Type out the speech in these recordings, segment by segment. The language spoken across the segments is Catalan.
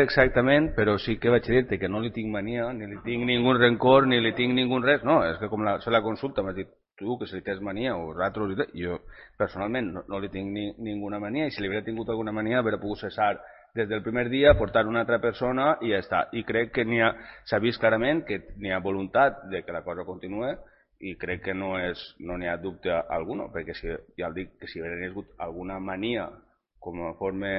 exactament, però sí que vaig dir-te que no li tinc mania, ni li tinc ningú rencor, ni li tinc ningú res. No, és que com la consulta m'has dit tu que si li tens mania o nosaltres, jo personalment no li tinc ninguna mania, i si li hauria tingut alguna mania hauria pogut cessar des del primer dia, portar una altra persona i ja està. I crec que s'ha vist clarament que n'hi ha voluntat de que la cosa continue, i crec que no n'hi ha dubte alguno, perquè ja el dic que si hagués hagut alguna mania conforme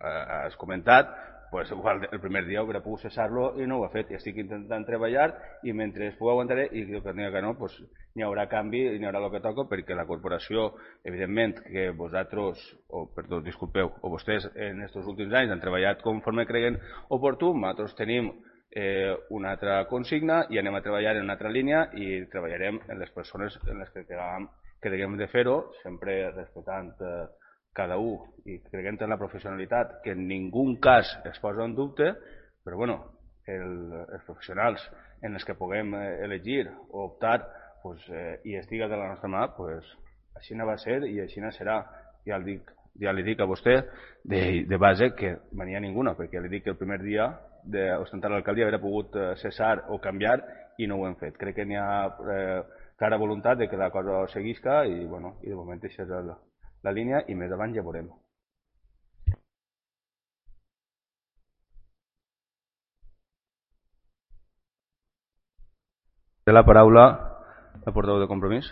has comentat, pues igual el primer dia hauria pogut cessar-lo i no ho ha fet. I estic intentant treballar i mentre es pugui aguantaré, i que n'hi ha que no, pues n'hi haurà canvi i n'hi haurà el que toca, perquè la corporació, evidentment, que vosaltres, perdó, disculpeu, o vostès en aquests últims anys han treballat conforme creguen oportú, nosaltres tenim una altra consigna i anem a treballar en una altra línia i treballarem en les persones en les que creguem de fer-ho, sempre respectant cada un i creguem en la professionalitat, que en ningú cas es posa en dubte, però bueno, els professionals en els que puguem elegir o optar i estiga de la nostra mà, així va ser i així serà. Ja li dic a vostè de base que mania ninguna, perquè li dic que el primer dia d'ostentar l'alcaldia hauria pogut cessar o canviar i no ho hem fet. Crec que n'hi ha clara voluntat de que la cosa seguisca i de moment això és la línia i més avant ja veurem. Té la paraula la portaveu de Compromís.